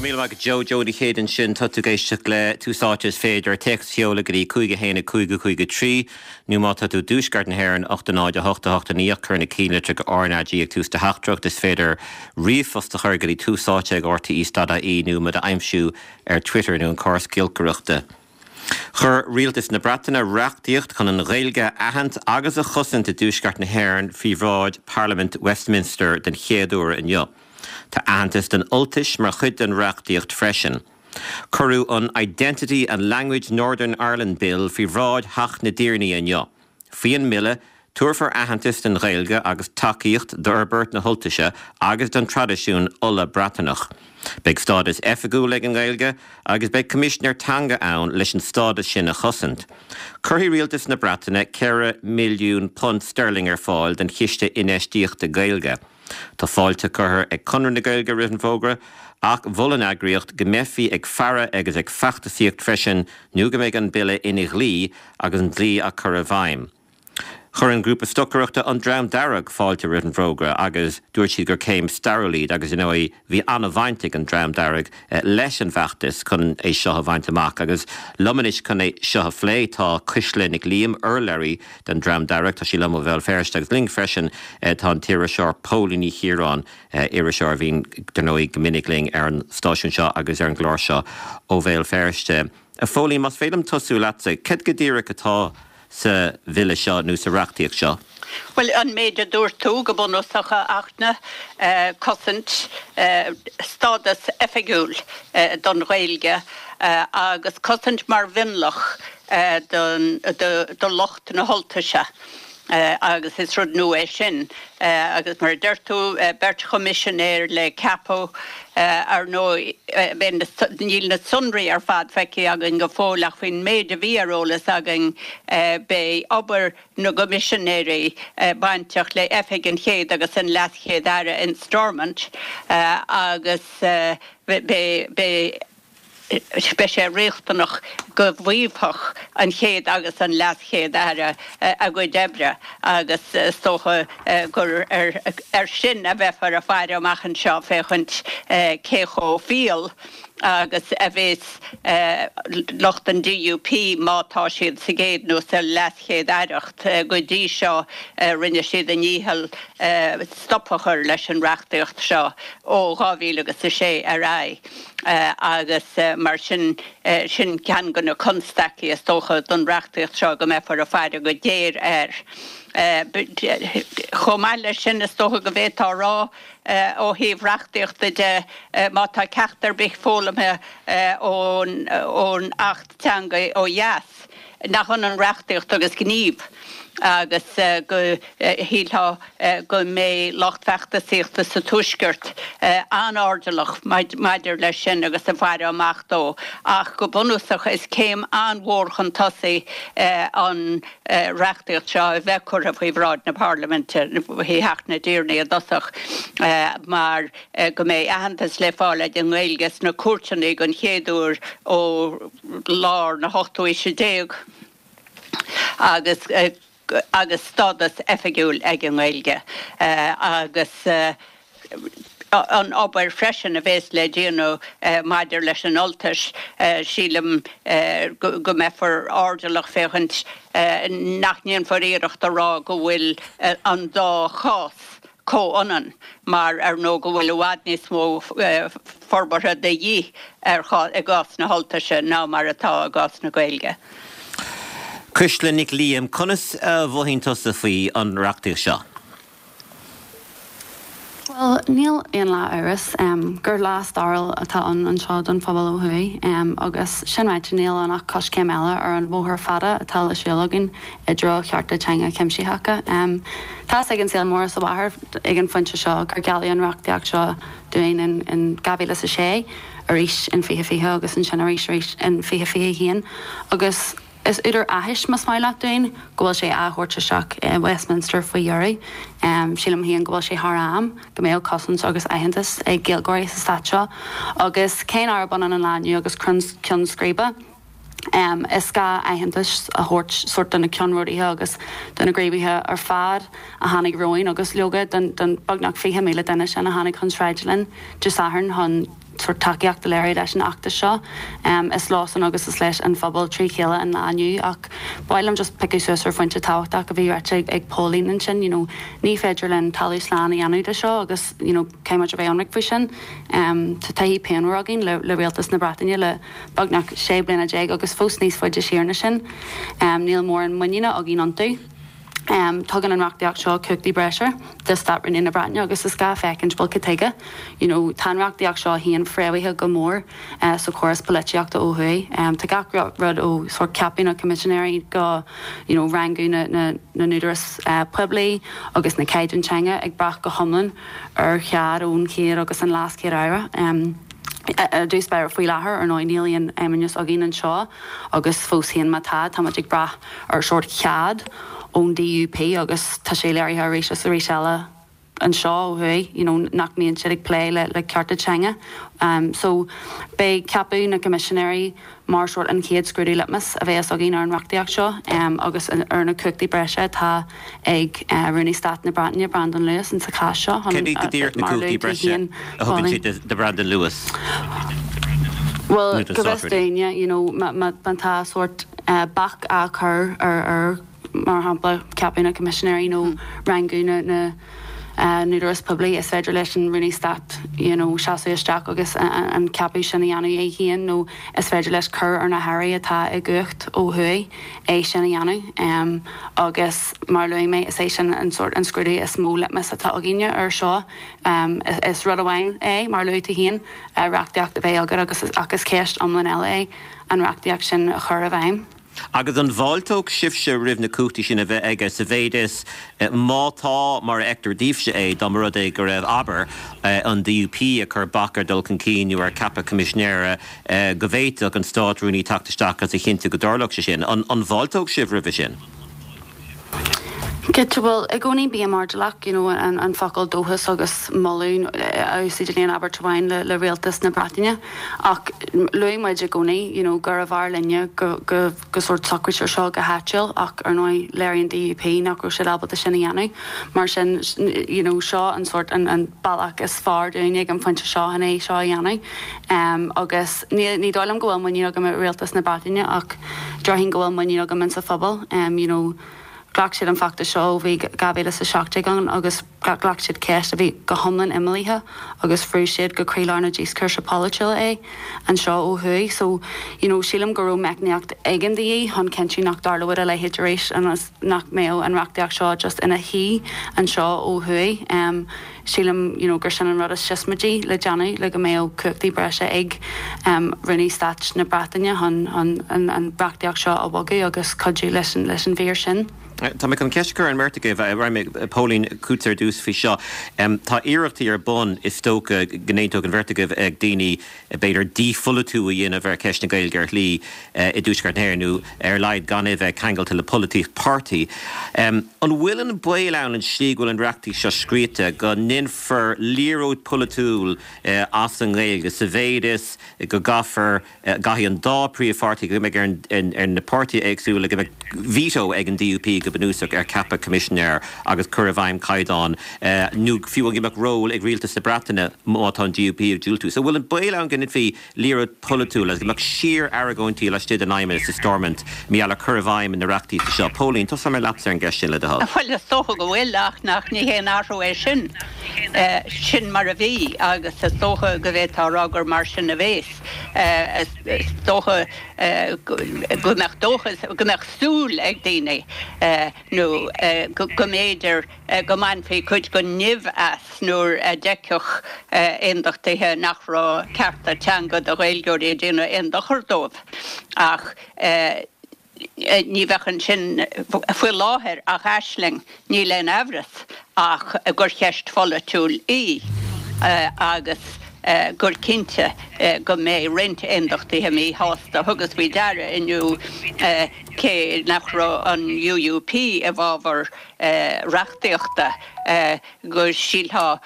raibh míle maith agat Joe. Joe Uí Chéide ansin. Tá tú ag éisteacht le Tús Áite is féidir téacs a sheoladh go dtí 5 1 5 5 3 nó má tá tú i dtuaisceart na hÉireann 8 0 8 8 9 ach cuir na cinnlitreacha RnaG ag tús do theachtaireacht. Is féidir ríomhphost a chur go dtí túsáite ag rte.ie nó muid a aimsiú ar Twitter nó an córas giolcaireachta. Chuir Rialtas na Breataine reachtaíocht chun an Ghaeilge a aithint agus a chosaint i dTuaisceart na hÉireann faoi bhráid Parlaimint Westminster den chéad uair inniu. Tá aitheantas don Ultais mar chuid den reachtaíocht freisin. Cuireadh an Identity and Language Northern Ireland Bill faoi bhráid Theach na dTiarnaí inniu. Faoin mbille, tabharfar aitheantas don Ghaeilge agus tacaíocht d'fhorbairt na hUltaise agus don traidisiún Uladh-Breataineach. Beidh stádas oifigiúil ag an nGaeilge agus beidh Coimisinéir Teanga ann leis an stádas sin a chosaint. Cuirfidh Rialtas na Breataine £4 milliún sterling ar fáil don Chiste Infheistíochta Gaeilge. Tá fáilte curtha ag Conradh na Gaeilge roimh an bhfógra ach mhol an eagraíocht go mbeifí ag faire agus ag feachtasaíocht freisin nó go mbeidh an bille ina dhlí agus an dlí á cur i bhfeidhm. Chuir an grúpa stocaireachta An Dream Dearg fáilte roimh an bhfógra agus dúirt siad gur céim stairiúil iad agus, ar ndóigh, bhí an-bhaint ag an Dream Dearg leis an bhfeachtas chun é seo a bhaint amach. Agus liom anois chun é seo a phlé tá Cuisle Nic Liam, urlabhraí den Dream Dearg, tá sí liom ó Bhéal Feirste agus linn freisin tá an t-iriseoir Póilín Ní Chiaráin, iriseoir a bhíonn, dar ndóigh, go minic linn ar an stáisiún seo agus ar an gclár seo ó Bhéal Feirste. A Phóilín, más féidir liom tosú leatsa, céard go díreach atá sa bhille seo nó sa reachtaíocht seo? Bhuel, an méid a dúirt tú, go bunúsach, a Fhachtna, cosaint, stádas oifigiúil don Ghaeilge agus cosaint mar mhionlach do lucht na hUltaise. Agus is rud nua é sin. Agus mar a deir tú, beirt choimisinéir le ceapadh. Ar ndóigh, níl na sonraí ar fad feicthe againn go fóill ach faoin méid a bhí ar eolas againn, beidh obair na gcoimisinéirí bainteach le Oifig an Chéad agus an LeasChéad-Aire in Stormont agus beidh Beidh sé riachtanach go bhfaomhfadh an Chéad agus an LeasChéad-Aire a gcuid oibre agus is dócha gur air sin a bheifear ag faire amach anseo féachaint cé chomh fial agus a bheas lucht an DUP má tá siad sa gcéad nó sa leaschéad-aireacht. Go dtí seo rinne siad a ndícheall stop a chur leis an reachtaíocht seo ó 2006 ar aghaidh. Agus mar sin, sin ceann de na constaicí is dócha don reachtaíocht seo, go mbeifear ag faire go géar air. Chomh maith leis sin, is dócha go bhféadfá a rá ó thaobh reachtaíochta de, má tá ceacht ar bith foghlamtha ón Acht Teanga ó dheas, nach ionann reachtaíocht agus gníomh agus go shílfeá go mbeidh lucht feachtasaíochta sa Tuaisceart an-airdeallach maidir leis sin agus ag faire amach dó. Ach go bunúsach is céim an-mhór chun tosaigh an reachtaíocht seo a bheith curtha faoi bhráid na Parlaiminte, faoi Theach na dTiarnaí i dtosach, mar go mbeidh aitheantas le fáil ag an nGaeilge sna cúirteanna den chéad uair ó lár na hochtú haoise déag agus agus stádas oifigiúil ag an nGaeilge agus an obair freisin a bhéas le déanamh maidir leis an Ultais, sílim go mbeifear airdeallach féachaint nach ndéanfar iarracht a rá go bhfuil an dá chás comhionann, mar ar ndóigh go bhfuil i bhfad níos mó forbartha de dhíth i gcás na hUltaise ná mar atá i gcás na Gaeilge. Cuisle Nic Liam, conas a mhothaíonn tusa faoi an reachtaíocht seo? Bhuel, níl aon leath-amhras gur lá stairiúil atá ann anseo don phobal ó thuaidh agus sin ráite níl ann ach coiscéim eile ar an bhóthar fada atá le siúl againn i dtreo chearta teanga cuimsitheacha. Tá fhios ag an saol mór is a mháthair ag an phointe seo gur gealladh an reachtaíocht seo dúinn in 2006, arís in 2020 agus ansin arís arís in 2021 agus is údar áthais, más maith leat, dúinn go bhfuil sé á thabhairt isteach i Westminster faoi dheireadh. Sílim féin go bhfuil sé thar am go mbeadh cosaint agus aitheantas ag Gaeilgeoirí sa stát seo agus cé nárab ionann an lá inniu agus ceann scríbe, Is gá aitheantas a thabhairt sórt do na ceannródaithe agus do na gníomhaithe ar fad a tháinig romhainn agus leoga don beagnach 20,000 duine sin a tháinig chun sráide linn Dé Sathairn chun. sórt tacaíocht a léiriú leis an fheachtas seo. Is leosan agus is leis an phobal trí chéile an lá inniu ach ba mhaith liom just piocadh suas ar phointe tábhachtach a bhí ráite ag Póilín ansin, you know, ní féidir linn talamh slán a dhéanamh de seo agus, you know, caithfidh muid a bheith ionraic faoi sin. Tá taithí pianmhar againn le le rialtas na Breataine le beagnach 16 bliana agus fós níos faide siar ná sin. Níl mórán muiníne againn iontu. Tugann an reachtaíocht seo cumhachtaí breise do Stát-Rúnaí na Breataine agus is gá féachaint, bhuel, cad tuige? You know, tá an reachtaíocht seo féin fréamhaithe go mór sa chóras polaitíochta ó thuaidh. Tá gach rud ó sórt ceapadh na coimisinéirí go, you know, rangú na na n-údarás poiblí agus na caighdeáin teanga ag brath go hiomlán ar chead ón Chéad agus an LeasChéad-Aire. I dtús báire faoi láthair, ar ndóigh, níl aon fheidhmeannas againn anseo agus fós féin má tá, tá muid ag brath ar sórt chead ón DUP agus tá sé léirithe arís is arís eile anseo ó thuaidh you know nach mbíonn siad ag plé le le cearta teanga. So beidh ceapadh na gcoimisinéirí mar sórt an chéad scrúdú litmus a bheas againn ar an reachtaíocht seo agus ar na cumhachtaí breise atá ag Rúnaí Stáit na Breataine, Brandon Lewis, insa chás seo chun, Céard iad go díreach na mar a cumhachtaí luaigh tú breise féin, a thugann Pauline. sé do Brandon Lewis? Bhuel, Nó don go bhfios Státrúnaí? dúinne, you know, má má tá sórt bac á chur ar ar mar shampla, ceapadh na coimisinéirí nó rangú na na n-údarás poiblí, is féidir leis an Rúnaí Stáit you know seasamh isteach agus an ceapadh sin a dhéanamh é féin nó is féidir leis cur ar na hairí atá i gcumhacht ó thuaidh é sin a dhéanamh. Agus mar a luaigh mé, is é sin an sórt an scrúdú is mó litmus atá againne air seo. Is rud amháin é, mar a luaigh tú féin, reachtaíocht a bheith agat agus ach is ceist iomlán eile é an reachtaíocht sin a chur i bhfeidhm. Agus an bhfáilteodh sibhse roimh na cumhachtaí sin a bheith aige sa mhéid is, má tá, mar a fheictear daoibhse é, dá mba rud é go raibh, abair, an DUP ag cur bac ar dhul chun cinn nó ar cheapadh coimisinéara, go bhféadfadh an Stát-Rúnaí teacht isteach agus a chinntiú go dtarlódh sé sin? An bhfáilteodh sibh roimhe sin? Cinnte, bhuel, i gcónaí bím airdeallach, you know, an focal dóchas agus moladh a úsáid in aon abairt amháin le rialtas na Breataine. Ach luaigh muid i gcónaí, you know, gurbh fhearr linne go, go, go sórt socraítear seo go háitiúil ach ar ndóigh léiríonn DUP nach raibh siad ábalta sin a dhéanamh. Mar sin, you know, seo an sórt, an, an bealach is fearr dúinn ag an phointe seo chun é seo a dhéanamh. Agus ní, ní dóigh liom go bhfuil muinín agam i rialtas na Breataine ach déarfainn go bhfuil muinín agam insa phobal. You know, ghlac siad an feachtas seo ó bhí 2017 ann agus ghlac siad ceist a bhí go hiomlán imeallaithe agus bhrúigh siad go croílár na díoscúrsa polaitiúla é anseo ó thuaidh. So, you know, sílim go raibh meicníocht éigin de dhíth chun cinntiú nach dtarlódh a leithéid arís ionas nach mbeadh an reachtaíocht seo just ina shuí anseo ó thuaidh. Sílim you know gur sin an rud is siosmaidí le déanamh le go mbeadh cumhachtaí breise ag Rúnaí Stáit na Breataine chun an reachtaíocht seo a bhogadh agus cuidiú leis an leis an mhír sin. Tá mé chun ceist a chur ar an mbeirt agaibh. Rachaidh mé, Póilín, chugatsa ar dtús faoi seo. Tá iarrachtaí ar bun, is dócha go n-aontódh an bheirt agaibh, ag daoine b'fhéidir dípholaitiú a dhéanamh ar cheist na Gaeilge ar shlí i dTuaisceart na hÉireann, nó ar a laghad gan é a bheith ceangailte le polaitíocht páirtí. An bhfuil an baol ann, an tslí go bhfuil an reachtaíocht seo scríte, go ndéanfar liathróid pholaitiúil as an nGaeilge, sa mhéid is go gcaithfear, gcaithfidh an dá phríomhpháirtí, go mbeidh ar na páirtithe éagsúla, go mbeidh veto ag an DUP go bunúsach ar cheapadh coimisinéir agus cur i bhfeidhm caighdeán, nó fiú go mbeadh ról ag rialtas na Breataine má tá an DUP ag diúltú. So bhfuil an baol ann go ndéanfaí liathróid pholaitiúil agus go mbeadh síor-argóintí laistigh den Fheidhmeannas i Stormont mar gheall ar chur i bhfeidhm na reachtaíochta seo? Póilín, tosóidh mé leatsa ar an gceist sin le do thoil. Bhuel, is dócha go bhfuil, ach nach, ní haon athrú é sin. Sin mar a bhí agus is dócha go bhféadfá a rá gur mar sin a bhéas. Is dócha go mbeadh dóchas, go mbeadh súil ag daoine nó go mb'fhéidir go mbainfí cuid den nimh as nuair a d'fheicfeadh aondachtaithe nach raibh cearta teanga do Ghaeilgeoirí ag déanamh aon dochar dóibh. Ach ní bheadh ansin faoi láthair ach aisling, níl aon amhras ach gur cheist pholaitiúil í agus gur cinnte go mbeidh roinnt aondachtaithe míshásta. Thugas faoi deara inniu, cé nach raibh an UUP i bhfabhar reachtaíochta, go sílfeá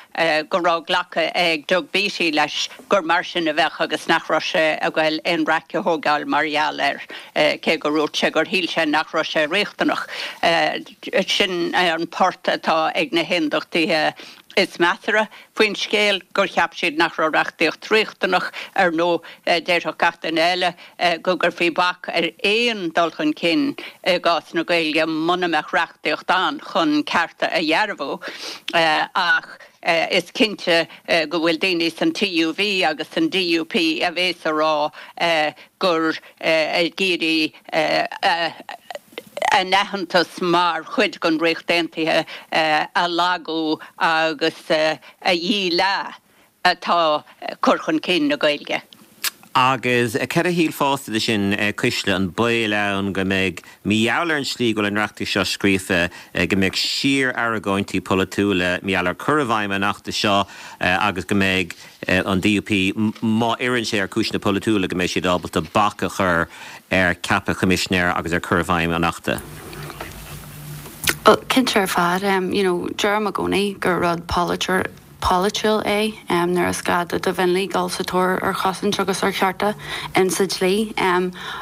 go raibh glactha ag Doug Beattie leis gur mar sin a bheadh agus nach raibh sé ag goil aon raic a thógáil mar gheall air, cé gur dhúirt sé gur shíl sé nach raibh sé riachtanach. Sin an port atá ag na hAondachtaithe. Is measartha faoin scéal gur cheap siad nach raibh reachtaíocht riachtanach. Ar ndóigh, déarfadh gach duine eile go gcuirfí bac ar aon dul chun cinn i gcás na Gaeilge muna mbeadh reachtaíocht ann chun cearta a dhearbhú. Ach is cinnte go bhfuil daoine san TUV agus san DUP a bhéas a rá gur ag iarraidh a n-aitheantas mar chuid den Ríocht Aontaithe a lagú agus a dhíleá atá cur chun cinn na Gaeilge. Agus céard a shílfeása de sin, Cuisle, an baol ann go mbeidh, mar gheall ar an slí go bhfuil an reachtaíocht seo scríofa, go mbeidh síor-argóintí polaitiúla mar gheall ar cur i bhfeidhm an achta seo agus go mbeidh an DUP, má oireann sé ar chúiseanna polaitiúla, go mbeidh siad ábalta bac a chur ar cheapadh choimisinéir agus ar chur i bhfeidhm an Achta. Bhuel, cinnte ar fad. You know, deirim i gcónaí gur rud polaitiúil é nuair is gá do do mhionlaigh dul sa tóir ar chosaint agus ar chearta in sa dlí.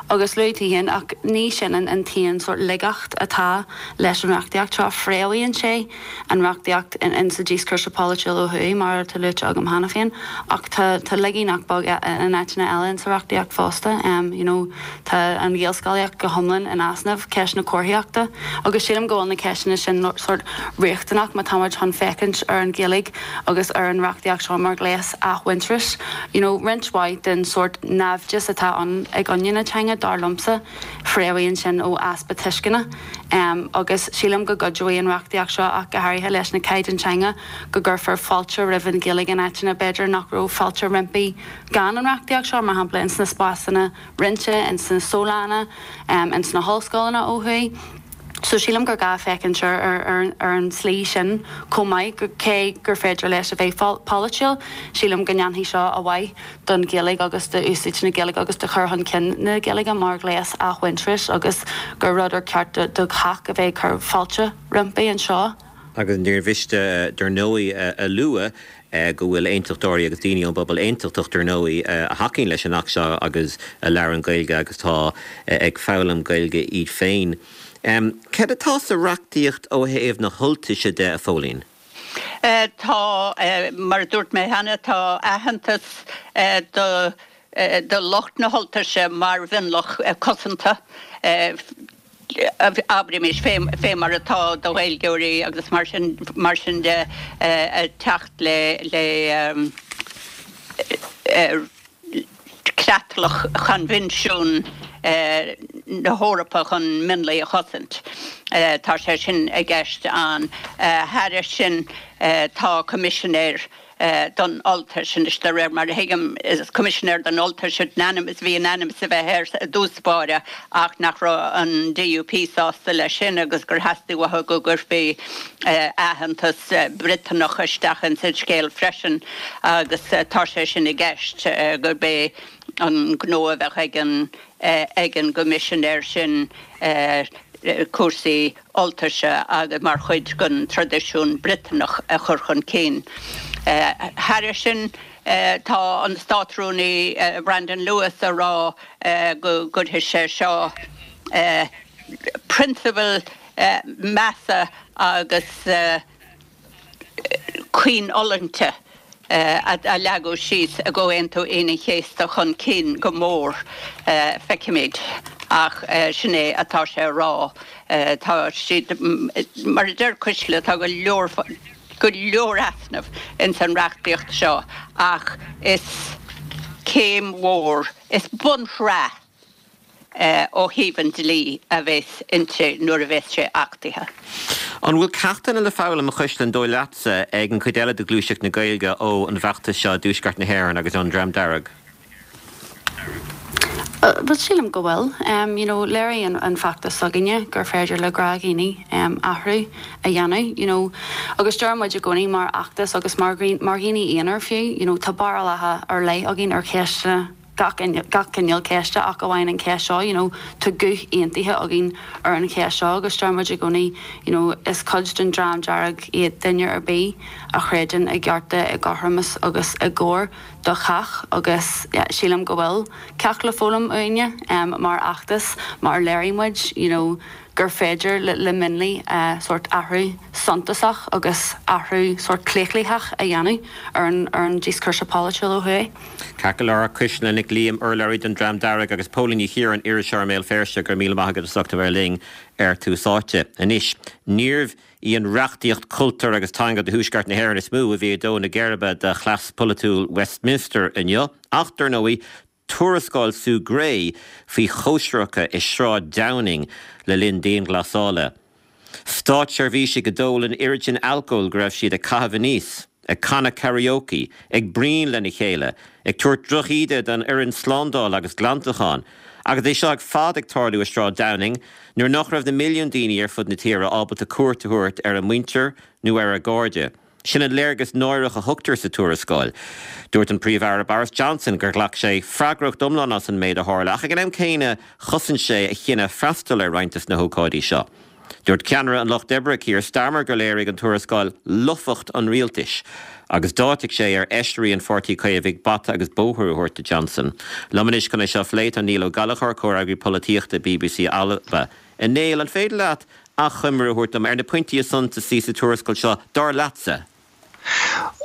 Agus luaigh tú féin, ach ní sin an t-aon sórt laigeacht atá leis an reachtaíocht seo. Fréamhaíonn sé an reachtaíocht in sa díoscúrsa polaitiúil ó thuaidh, mar atá luaite agam cheana féin, ach tá tá laigí nach beag in áiteanna eile in sa reachtaíocht fosta. You know, tá an Ghaelscolaíocht go hiomlán in easnamh, ceist na comharthaíochta, agus sílim go bhfuil na ceisteanna sin sórt riachtanach má tá muid chun féachaint ar an Ghaeilge agus ar an reachtaíocht seo mar ghléas athmhuintearais. You know, roinnt mhaith den sórt naimhdeas atá ann i gcoinne na teanga, dar liomsa, Fréamhaíonn sin ó easpa tuisceana agus sílim go gcuideoidh an reachtaíocht seo ach go háirithe leis na caighdeáin teanga go gcuirfear fáilte roimh an Ghaeilge in áiteanna b'fhéidir nach raibh fáilte roimpi gan an reachtaíocht seo, mar shampla ins na spásanna roinnte, ins na sólanna, ins na hollscoileanna ó thuaidh. So sílim gur gá féachaint ar ar an tslí sin chomh maith, cé gur féidir leis a bheith polaitiúil, sílim go ndéanfaidh seo a mhaith don Ghaeilge agus d'úsáid na Gaeilge agus do chur chun cinn na Gaeilge mar ghléas athmhuintearais agus gur rud ar ceart do chách a bheith ag cur fáilte roimpi anseo. Agus níor mhiste, dar ndóigh, a lua go bhfuil aontachtóirí agus daoine ón bpobal aontachtach, dar ndóigh, a thacaíonn leis an Acht seo agus a labhrann Gaeilge agus atá ag foghlaim Gaeilge iad féin. Céard atá sa reachtaíocht ó thaobh na hUltaise de, a Phóilín? Tá, mar a dúirt mé cheana, tá aitheantas do do lucht na hUltaise mar mhionlach cosanta, abraimis, fé mar atá do Ghaeilgeoirí agus mar sin mar sin de, ag teacht le le creatlach Choinbhinsiún na hEorpa chun Mionlaigh a Chosaint. Tá sé sin i gceist ann. Thairis sin, tá Coimisinéir don Ultais anois, de réir mar a thuigim, is Coimisinéir don Ultais an ainm is bhí in ainm is a bheith air i dtús báire ach nach raibh an DUP sásta leis sin agus gur theastaigh uathu go gcuirfí aitheantas Briotanach isteach ins an scéal freisin agus tá sé sin i gceist, gurb é an gnó a bheadh ag an ag an gCoimisinéir sin cúrsaí Ultaise agus mar chuid den traidisiún Briotanach a chur chun cinn. Thairis sin, tá an Státrúnaí Brandon Lewis a rá go gcuirfidh sé seo prionsabail measa agus caoinfhulaingte a leagadh síos i gComhaontú Aoine an Chéasta chun cinn go mór. Feicfimid. Ach sin é atá sé a rá. Tá siad, mar a deir Cuisle, tá go leor, go leor easnamh ins an reachtaíocht seo ach is céim mhór, is bunshraith ó thaobh an dlí a bheas inti nuair a bheas sé achtaithe. An bhfuil ceachtanna le foghlaim, a Chuisle, an dóigh leatsa, ag an chuid eile de ghluaiseacht na Gaeilge ó an bhfeachtas seo i dTuaisceart na hÉireann agus ón Dream Dearg? Bhuel, sílim go bhfuil. You know, léirigh an feachtas s'againne gur féidir le gnáthdhaoine athrú a dhéanamh, you know. Agus deir muid i gcónaí mar fheachtas agus mar dhaoine aonair fiú, you know, tá barúlacha ar leith againn ar cheisteanna, gach cineál ceiste ach amháin an cheist seo, you know, tá guth aontaithe againn ar an cheist seo agus deir muid i gcónaí, you know, is cuid den Dream Dearg iad duine ar bith a chreideann i gcearta, i gcothromas agus i gcóir do chách agus yeah, sílim go bhfuil ceacht le foghlaim uainne mar fheachtas mar léirigh muid, you know,. gur féidir le mionlaigh sórt athrú suntasach agus athrú sórt claochlaitheach a dhéanamh ar an ar an díoscúrsa polaitiúil ó thuaidh. Ceart go leor, Cuisle Nic Liam, urlabhraí don Dream Dearg agus Póilín Ní Chiaráin, iriseoir i mBéal Feirste, go raibh míle maith agat as ucht a bheith linn ar Tús Áite. Anois, níorbh í an reachtaíocht cultúir agus teanga do Thuaisceart na hÉireann is mó a bhí ag dó na geirbe do chleas polaitiúil Westminster inniu, ach, dar ndóigh, tuarascáil Sue Gray faoi chóisireacha i Sráid Downing le linn dianghlasála. Státseirbhísigh a d'ól an oiread sin alcóil go raibh siad ag caitheamh aníos, ag canadh karaoke, ag bruíon lena chéile, ag tabhairt drochíde don fhoireann slándála agus glantacháin, agus é seo ar fad ag tarlú i Sráid Downing nuair nach raibh na milliúin daoine ar fud na tíre ábalta cuairt a thabhairt ar a muintir nó ar a gcairde. Sin an léargas náireach a thugtar sa tuarascáil. Dúirt an Príomh-Aire Boris Johnson gur ghlac sé freagracht iomlán as an méid a tharla ach ag an am céanna chosain sé a chinneadh freastal ar roinnt des na hócáidí seo. Dúirt ceannaire an Lucht Oibre, Keir Starmer gur léirigh an tuarascáil lofacht an rialtais agus d'áitigh sé ar fheisirí an Pháirtí Chaomhaigh bata agus bóthar a thabhairt do Johnson. Liom anois chun é seo a phlé tá Niall Ó Gallchóir, Comhfhreagraí Polaitíochta bbc Alba. A Néill, an féidir leat achoimre a thabhairt dom ar na pointí is suntasaí sa tuarascáil seo, dar leatsa?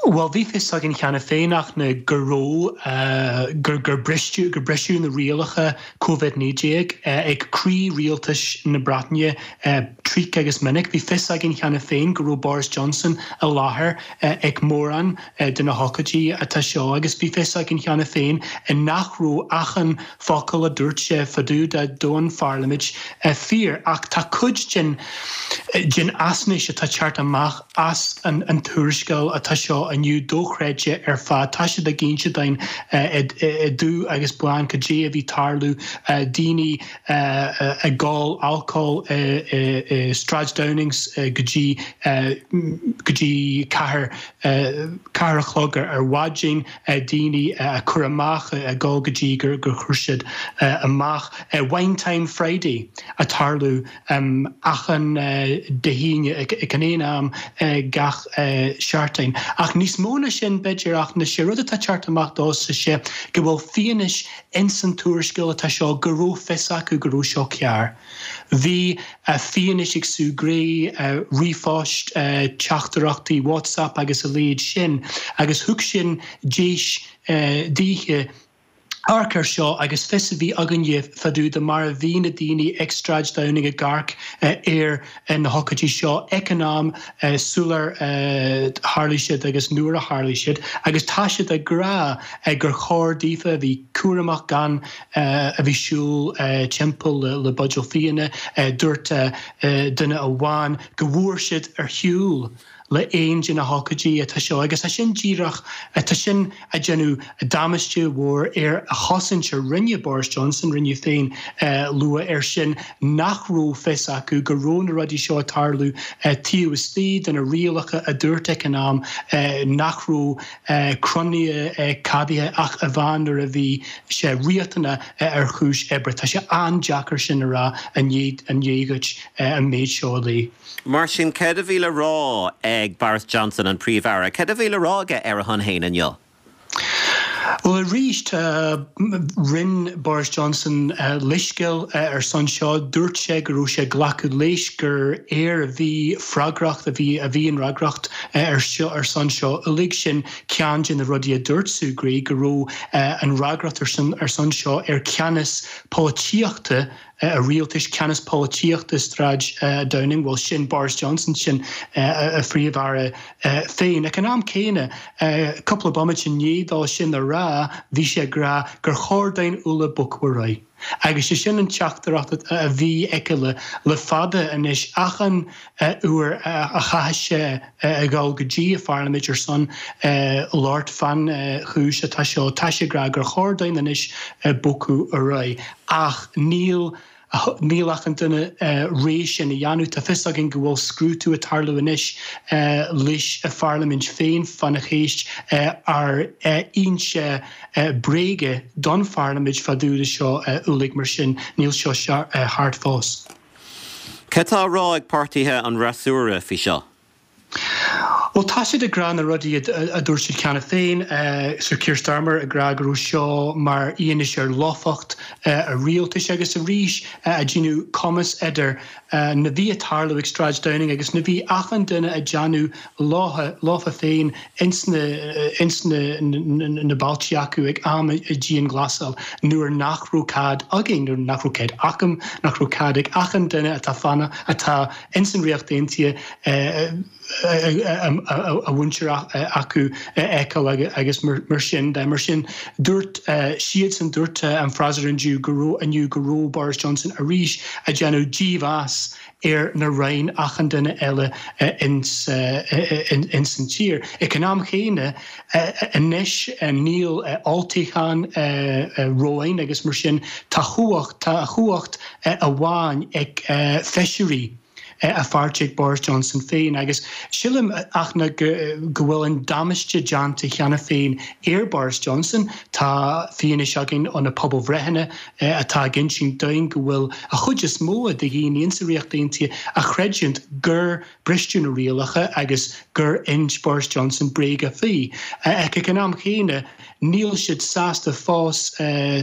Bhuel, bhí fios againn cheana féin Fhachtna go raibh, gur, gur bristeadh, gur briseadh na rialacha Covid-19 ag croí rialtas na Breataine tríocha agus minic. Bhí fios againn cheana féin go raibh Boris Johnson i láthair ag mórán de na hócáidí atá seo agus bhí fios againn cheana féin nach raibh achan focal a dúirt sé fá dtaobh de don pharlaimint fíor ach tá cuid den den fhaisnéis atá teacht amach as an tuarascáil atá seo inniu dochreidte ar fad. Tá siad ag inse dúinn i dubh agus bán cad é a bhí tarlú, daoine ag ól alcól i Sráid Downings go dtí go dtí ceathair ceathair a chlog ar maidin. daoine a cur amach ag dul go dtí gur chuir siad amach Wine Time Friday ag tarlú achan Dé hAoine ag an aon am gach seachtain. Ach níos mó ná sin b'fhéidir Fhachtna sé rud atá teacht amach domhsa sé go bhfuil fianaise ins an tuarascáil atá seo go raibh fios acu go raibh seo cearr. Bhí fianaise ag Sue Gray, ríomhphoist, teachtaireachtaí WhatsApp agus a leithéid sin agus thug sin deis daoithe amharc air seo agus fios a bhí againne fá dtaobh de mar a bhí na daoine ag Sráid Downing ag amharc ar na hócáidí seo ag an am sular tharlaigh siad agus nuair a tharlaigh siad agus tá siad ag rá gur chóir daofa a bheith cúramach gan a bheith siúl timpeall le buidéal fíona. Dúirt duine amháin go bhfuair siad ar shiúl le aon de na hócáidí atá seo agus tá sin díreach, tá sin a déanamh damáiste mhór ar a chosaint a rinne Boris Johnson, rinne féin lua air sin nach raibh fios acu go raibh na rudaí seo ag tarlú taobh istigh de na rialacha a dúirt ag an am nach raibh cruinnithe ceadaithe ach amháin nuair a bhí sé riachtanach ar chúis oibre. Tá sé an-deacair sin a rá i ndiaidh dhuit an méid seo a léamh. Mar sin, céard a bhí le rá ag Boris Johnson, an Príomh-Aire, céard a bhí le rá aige ar a shon féin inniu? Bhuel, arís, rinne Boris Johnson leithscéal ar son seo. Dúirt sé go raibh sé ag glacadh leis gur air a bhí freagracht, a bhí a bhí an fhreagracht ar seo ar son seo uilig. Sin ceann de na rudaí a dúirt Sue Gray, go raibh an fhreagracht ar son ar son seo ar cheannas polaitíochta a rialtais, ceannas polaitíochta Sráid Downing, bhuel sin Boris Johnson, sin a phríomh-aire féin. Ag an am céanna, cúpla bomaite i ndiaidh dó sin a rá, bhí sé ag rá gur chóir dúinn uile bogadh ar aghaidh. Agus sé sin an teachtaireacht a bhí aige le fada anois, achan uair a chaithfidh sé a dhul go dtí a pharlaimint ar son labhairt fán chúis atá seo, tá sé ag rá gur chóir dúinn anois bogadh ar aghaidh. Ach níl níl achan duine réidh sin a dhéanamh. Tá fios againn go bhfuil scrúdú ag tarlú anois leis a pharlaimint féin fána chéist ar fhoinse bréige don pharlaimint fá dtaobh de seo uilig mar sin níl seo thart fós. Cad tá á rá ag páirtithe an fhreasúra faoi seo? Bhuel, tá siad ag rá na rudaí a dúirt siad cheana féin, Sir Keir Starmer ag rá go raibh seo mar fhianaise ar lofacht a rialtais agus arís ag déanamh cumasc idir na bhí ag tarlú ag Sráid Downing agus na bhí achan duine ag déanamh leofa féin ins na ins na na bailte acu ag am a dianghlasáil nuair nach raibh cead againn, nuair nach raibh cead acu, nach raibh cead ag achan duine atá fanacht atá ins an Ríocht Aontaithe a mhuintir acu a fheiceáil agus mar sin de. Mar sin, dúirt siadsan, dúirt an freasúra inniu go raibh inniu go raibh Boris Johnson arís ag déanamh dímheas ar na roghanna achan duine eile ins an tír. Ag an am chéanna, anois níl olltoghchán romhainn agus mar sin tá chumhacht, tá chumhacht amháin ag feisirí a pháirtí ag Boris Johnson féin agus sílim ach na go bhfuil an damáiste déanta cheana féin ar Boris Johnson. Tá fianaise againn ó na pobalbhreitheanna atá ag insint dúinn go bhfuil a chuid is mó de dhaoine insa Ríocht Aontaithe a chreidiúint gur bristeadh na rialacha agus gur ins Boris Johnson bréaga faoi. Ach ag an am chéanna, níl siad sásta fós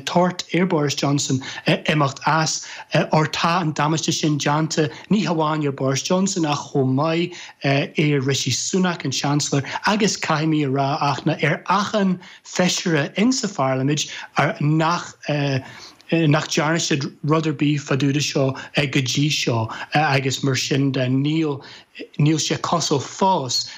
tart ar Boris Johnson imeacht as, óir tá an damáiste sin déanta ní hamháin ar Boris Johnson ach chomh maith ar Rishi Sunak, an Seansailéir, agus caithfidh mé a rá ach na ar achan feisire insa pharlaimint nach nach dtearna siad rud ar bith fá dtaobh de seo go dtí seo agus mar sin de níl níl sé cosúil fós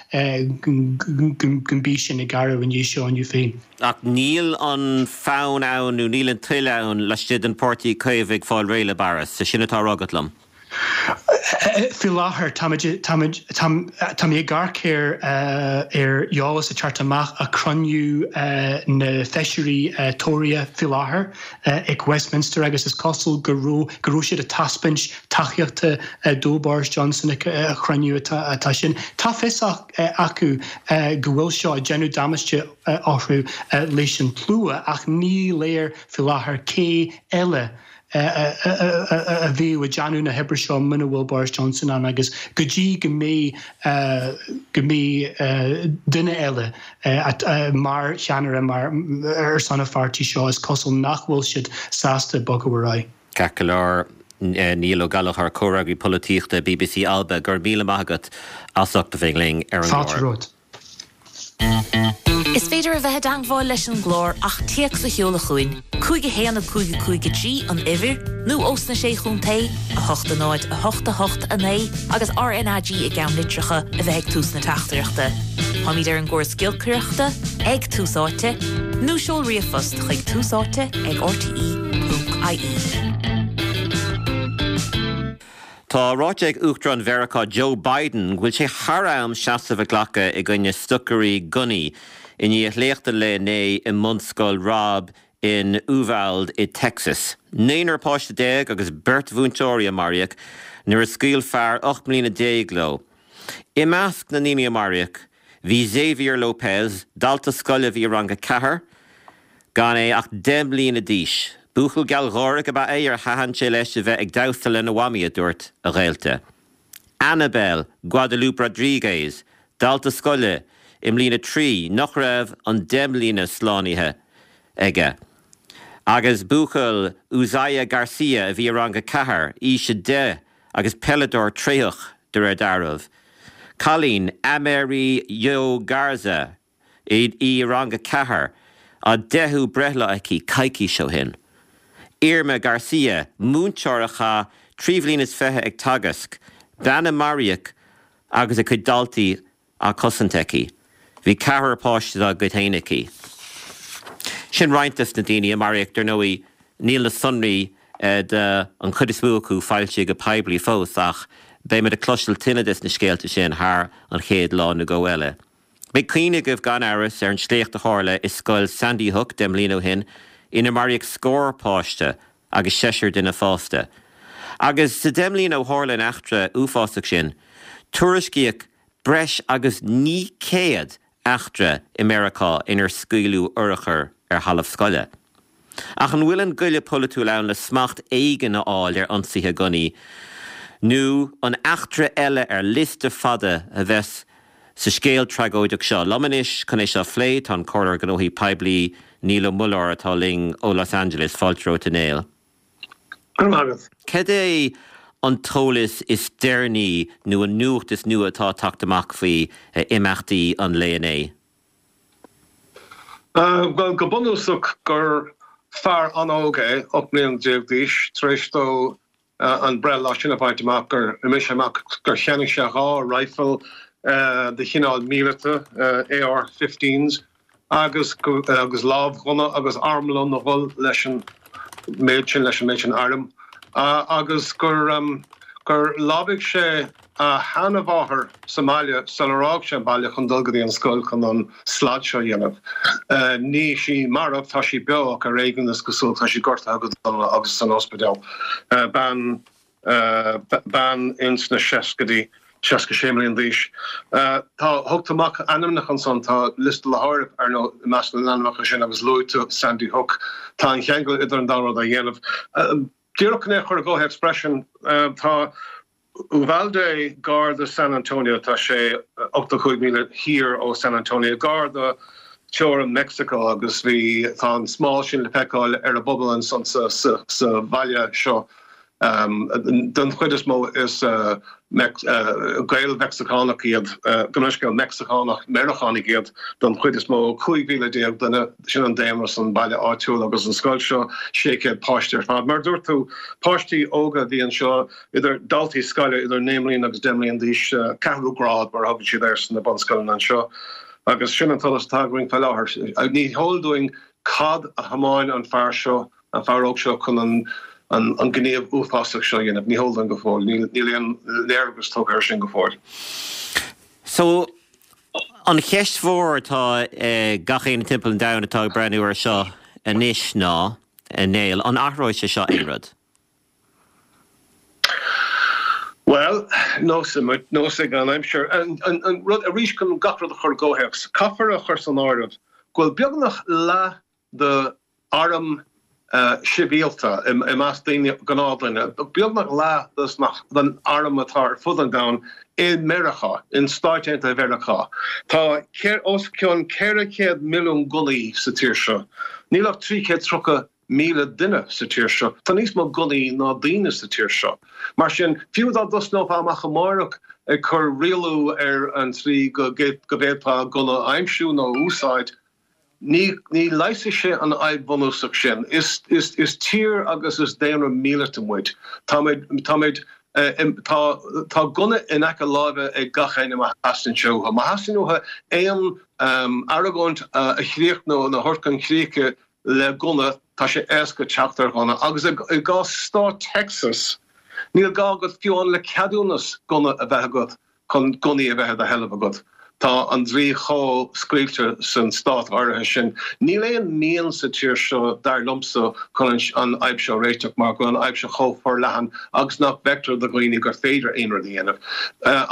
go mbeidh sin ag athrú i ndiaidh seo inniu féin. Ach níl an fonn ann nó níl an toil ann laistigh den Pháirtí Caomhach fáil réidh le Boris, sin atá á rá agat liom. Faoi láthair, táimid, táimid, tá, tá mé ag amharc ar, ar eolas ag teacht amach ó chruinniú na feisirí Tóraithe faoi láthair ag Westminster agus is cosúil go raibh, go raibh siad ag taispeáint tacaíochta do Boris Johnson ag an chruinniú atá, atá sin. Tá fios acu go bhfuil seo ag déanamh damáiste orthu leis an tslua ach ní léir faoi láthair cé eile a bheadh ag déanamh na hoibre seo muna bhfuil Boris Johnson ann agus go dtí go mbeidh go mbeidh duine eile mar cheannaire mar ar son an pháirtí seo is cosúil nach bhfuil siad sásta bogadh ar aghaidh. Ceart go leor, Niall Ó Gallchóir, Comhfhreagraí Polaitíochta bbc Alba, go raibh míle maith agat as ucht a bheith linn ar an gclár. Fáilte romhat. Is féidir a bheith i dteangmháil leis an gclár ach téacs a sheoladh chugainn, 5 1 5 5 3 an uimhir, nó ós na Sé Chontae, 8 0 8 8 9 agus RNAG i gceannlitreacha a bheith ag tús na teachtaireachta. Táimid ar an gcóras giolcaireachta, ag Tús Áite, nó seol ríomhphost chuig túsáite ag rte.ie. Tá ráite ag Uachtarán Mheiriceá Joe Biden go bhfuil sé thar am seasamh a ghlacadh i gcoinne stocairí gunnaí i ndiaidh shléacht an lae inné i mbunscoil Robb in Uvalde i Texas. Naonúr páiste agus beirt mhúinteoirí a maraíodh nuair a scaoil fear 18 mbliana leo. I measc na ndaoine a maraíodh bhí Xavier Lopez, dalta scoile a bhí i rang a ceathair, Gan é ach 10 mbliana d'aois. Buachaill gealgháireach ab ea é ar thaitin sé leis a bheith ag damhsa lena mhamaí, a dúirt a ghaolta. Annabel Guadalupe Rodriguez, dalta scoile i mbliain 3 nach raibh an 10 mbliana slánaithe aige. Agus buachaill Uziyah Garcia a bhí i rang 4, aois 10 agus peileadóir tréitheach de réir dealraimh. Cailín, Amerie Jo Garza, í i rang 4, a deichiú breithlá aici coicís ó shin. Irma Garcia, múinteoir a chaith 23 bhliain ag teagasc, bean a maraíodh agus a cuid daltaí á cosaint aici. Bhí ceathrar páiste dá gcuid féin aici. Sin roinnt des na daoine a maraíodh, dar ndóigh níl na sonraí de an chuid is mó acu foilsithe go poiblí fós ach beimid ag cloisteáil tuilleadh des na scéalta sin thar an chéad lá nó dhó eile. Beidh cuimhne agaibh gan amhras ar an sléacht a tharla i scoil Sandy Hook 10 mbliana ó shin inar maraíodh scór páiste agus seisear duine fásta. Agus sa 10 mbliana ó tharla an eachtra uafásach sin, tuairiscíodh breis agus 900 eachtra i Meiriceá inar scaoileadh urchar ar thalamh scoile. Ach an bhfuil an goile polaitiúil ann le smacht éigin a fháil ar ionsaithe gunnaí, nó an eachtra eile ar liosta fada a bheas. sa scéal tragóideach seo. Liom anois chun é seo a phlé tá an Comhairleoir Gnóthaí Poiblí Niall Ó Muilleoir atá linn ó Los Angeles. Fáilte romhat a Néill. Go raibh maith agat. Cad é an t-eolas is deireanaí nó an nuacht is nua atá ag teacht amach faoi imeachtaí an lae inné? Bhuel, go bunúsach gur fear an-óg é, 18 mbliana d'aois, tar éis dó an breithlá sin a bhaint amach, gur imigh sé amach gur cheannaigh sé 2 raidhfil de chineál míleata, AR-15s, agus agus lámhghunna agus armlón a dhul leis an méid sin, leis an méid sin airm, agus gur gur lámhaigh sé a sheanmháthair sa mbaile sular fhág sé an baile chun dul go dtí an scoil chun an slad seo a dhéanamh. Níl sí marbh, tá sí beo ach ar éigean is cosúil, tá sí gortaithe go dona agus san ospidéal. Bean. bean ins na seascaidí, 66 mbliana d'aois. Tá, thug tú amach ainmneacha ansan, tá liosta le háireamh, ar ndóigh, i measc na n-ainmneacha sin agus luaigh tú Sandy Hook. Tá an cheangal idir an dá rud á dhéanamh. Díreach chun é a chur i gcomhthéacs freisin, tá Uvalde gar do San Antonio, tá sé 85 míle thiar ó San Antonio, gar do teorainn Meicsiceo agus bhí, tá an smál sin le feiceáil ar an bpobal ansan sa, sa bhaile seo. Den chuid is mó is Gael-Mheicsiceánach iad, gabh mo leithscéal, Meicsiceánach, Meiriceánaigh iad don chuid is mó, 15,000 duine, sin an daonra san baile áitiúil agus an scoil seo, 600 páiste ar fad. Mar a dúirt tú, páistí óga a bhí anseo, idir daltaí scoile idir 9 mbliana agus 10 mbliana d'aois, ceathrú grád mar a thugann siad air sna bunscoileanna anseo. Agus sin an t-eolas atá againn faoi láthair. Ní heol dúinn cad a thiomáin an fear seo an fear óg seo chun an an gníomh uafásach seo a dhéanamh. Ní heol dúinn go fóill. Níl níl aon léargas tugtha air sin go fóill. So, an cheist mhór atá ag gach éinne timpeall an domhain atá ag breathnú air seo anois ná, a Néill, an athróidh sé seo aon rud? Bhuel, neosfaidh an aimsir. An an rud, arís, chun gach rud a chur i gcomhthéacs, caithfear a chur san áireamh go bhfuil beagnach leath de arm sibhialta i measc daoine, gnáthdhuine, beagnach leath den arm atá ar fud an domhain i Meiriceá, in Stáit Aontaithe Mheiriceá. Tá os cionn 400 milliún gunnaí sa tír seo. Níl ach 330,000 duine sa tír seo. Tá níos mó gunnaí ná daoine sa tír seo. Mar sin, fiú dá dtosnófá amach amárach ag cur rialú ar an tslí go bhféadfá gunna a aimsiú nó a úsáid, Ní leigheasfaidh sé an fhadhb bhunúsach sin. Is tír agus is daonra míleata muid. Táimid, táimid, tá, tá gunna in aice láimhe ag gach éinne má theastaíonn sé uathu. Má theastaíonn uathu aon argóint a chríochnú nó a thabhairt chun críche le gunna, tá sé éasca teacht ar ghunna. Agus i gcás stát Texas, níl gá agat fiú amháin le ceadúnas gunna a bheith agat. chun gunnaí a bheith i do sheilbh agat. Tá an dlí chomh scaoilte san stát áirithe sin. Níl aon mhian sa tír seo, dar liomsa, chun an fhadhb seo a réiteach mar go bhfuil an fhadhb seo chomh forleathan agus nach bhfeictear do dhaoine gur féidir aon rud a dhéanamh.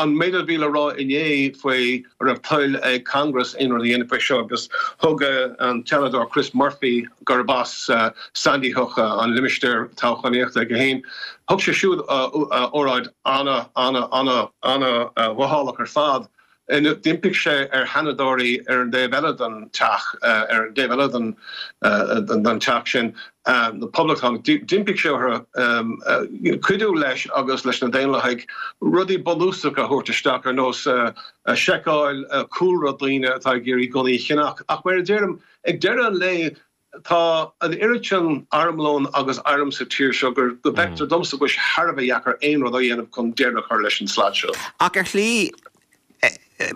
An méid a bhí le rá inné faoi an raibh toil ag Congress aon rud a dhéanamh faoi seo agus thug an Seanadóir Chris Murphy, gurb as Sandy Hook an limistéar toghchánaíochta aige féin, thug sé siúd óráid ana, ana, ana, ana mhothálach ar fad. D'impigh sé ar sheanadóirí ar an dtaobh eile den teach, ar an dtaobh eile den den teach sin, na Poblachtánaigh, d'impigh sé orthu cuidiú leis agus leis na Daonlathaigh rudaí bunúsacha a thabhairt isteach ar nós seiceáil cúlra daoine atá ag iarraidh gunnaí a cheannach. Ach mar a deirim, ag deireadh an lae, Tá an oiread sin armlón agus airm sa tír seo go bhfeictear domsa go bhfuil sé thar a bheith deacair aon rud a dhéanamh chun deireadh a chur leis an slad seo. Ach ar shlí,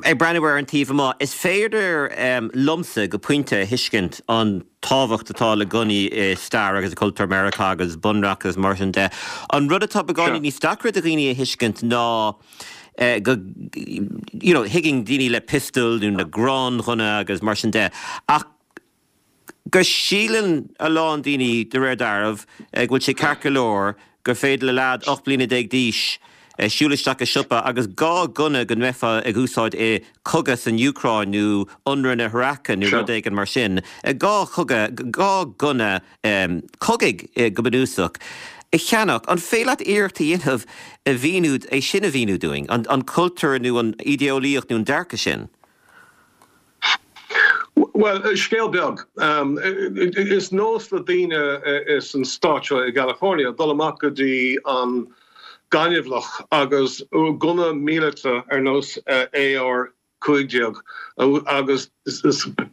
ag breathnú ar an taobh amuigh, is féidir liomsa, go pointe, a thuiscint an tábhacht atá le gunnaí i stair agus i cultúr Meiriceá agus bunreacht agus mar sin de. An rud atá beagáinín níos deacra do dhaoine a thuiscint ná go, you know, thuigeann daoine le piostail nó na gránghunna agus mar sin de, ach go síleann a lán daoine, de réir dealraimh, go bhfuil sé ceart go leor gur féidir le leaid 18 bliana d'aois siúl isteach i siopa agus 2 gunna go mbeifeá ag úsáid i cogadh san Úcráin nó ionradh na hIaráice nó rud éigin mar sin, 2 chogadh, 2 gunna cogaidh go bunúsach. A cheannach. An féidir leat iarracht a dhéanamh a mhíniú, é sin a mhíniú dúinn, an cultúr nó an idéeolaíocht nó an dearcadh sin? Bhuel, scéal beag. Is nós le daoine san stát seo i gCalifornia dul amach go dtí an gaineamhlach agus gunna míleata ar nós AR 15 agus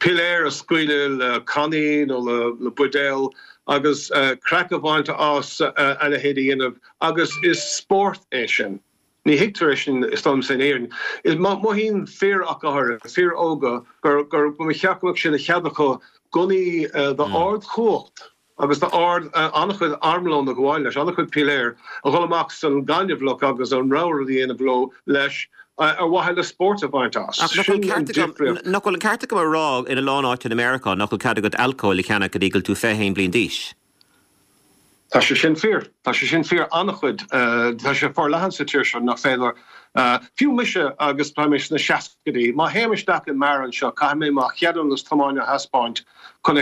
piléir a scaoileadh le cannaí nó le buidéal agus craic a bhaint as a leithéid a dhéanamh agus is spórt é sin. Ní thuigtear é sin is dóigh liom in Éirinn. Mothaíonn fir ach go háirithe, fir óga, gur ba cheart go mbeadh sé de chead acu gunnaí d'ardchumhacht agus d'ard an-chuid armlón ag gabháil leis, an-chuid piléar, a dhul amach san gaineamhlach agus an rogha rud a dhéanamh leo leis ar mhaithe le spórt a bhaint as. Ach nach bhfuil an ceart agam, nach bhfuil an ceart agam a rá in a lán áiteanna i Meiriceá nach bhfuil cead agat alcól a cheannach go dtí go bhfuil tú 21 bliain d'aois? Tá sé sin fíor. Tá sé sin fíor an-chuid. Tá sé forleathan sa tír seo nach féidir, fiú mise agus tá mé sna seascaidí, má théim isteach i mbeár anseo caithfidh mé mo cheadúnas tiomána a thaispeáint chun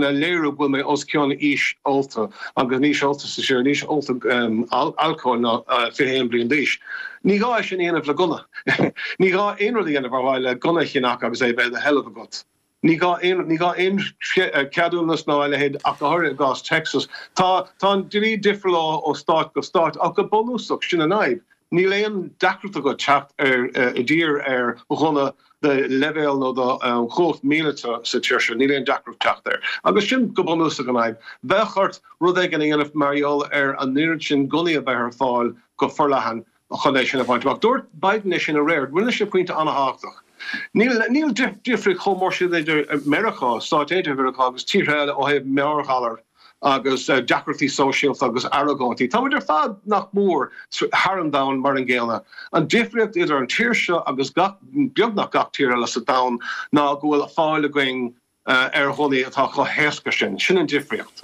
a léiriú go bhfuil mé os cionn aois ólta agus an aois ólta sa tír, an aois ólta alcóil ná 21 bliain d'aois. Ní gá é sin a dhéanamh le gunna. Ní gá aon rud a dhéanamh ar mhaithe le gunna a cheannach agus é a bheith i do sheilbh agat. Ní gá aon, ní gá aon cheadúnas ná a leithéid ach go háirithe i gcás Texas. Tá, tá an dlí difriúil ó stát go stát ach go bunúsach sin an fhadhb. Níl aon deacracht agat teacht ar, i dtír ar ghunna de leibhéal nó de chumhacht míleata sa tír seo, níl aon deacracht teacht air. Agus sin go bunúsach an fhadhb. Bheadh ort rud éigin a dhéanamh mar gheall ar an oiread sin gunnaí a bheith ar fáil go forleathan chun é sin a bhaint amach. Dúirt Biden é sin aréir. Rinne sé pointe an-thábhachtach. Níl, níl difríocht chomh mór sin idir Meiriceá, Stáit Aontaithe Mheiriceá agus tíortha eile ó thaobh meabhairghalar agus deacrachtaí sóisialta agus argóintí. Tá muid ar fad, nach mór, thar an domhan mar an gcéanna. An difríocht idir an tír seo agus gach, beagnach gach tír eile sa domhan ná go bhfuil fáil againn ar ghunnaí atá chomh héasca sin. Sin an difríocht.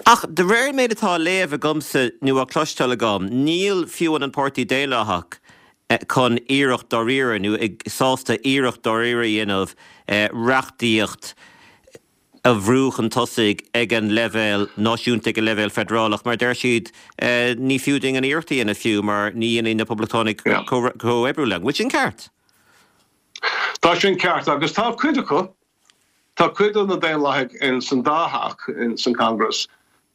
Ach de réir an méid atá á léamh agamsa nó á cloisteáil agam, níl fiú an Páirtí Daonlathach chun iarracht dáiríre nó sásta iarracht dáiríre a dhéanamh reachtaíocht a bhrú chun tosaigh ag an leibhéal náisiúnta, ag an leibhéal feidearálach, mar deir siad ní fiú dúinn an iarracht a dhéanamh fiú mar ní dhéanfaidh na Poblachtánaigh comhoibriú linn. Bhfuil sin ceart? Tá sin ceart agus tá cuid acu, tá cuid de na Daonlathaigh in san dá theach in san Congress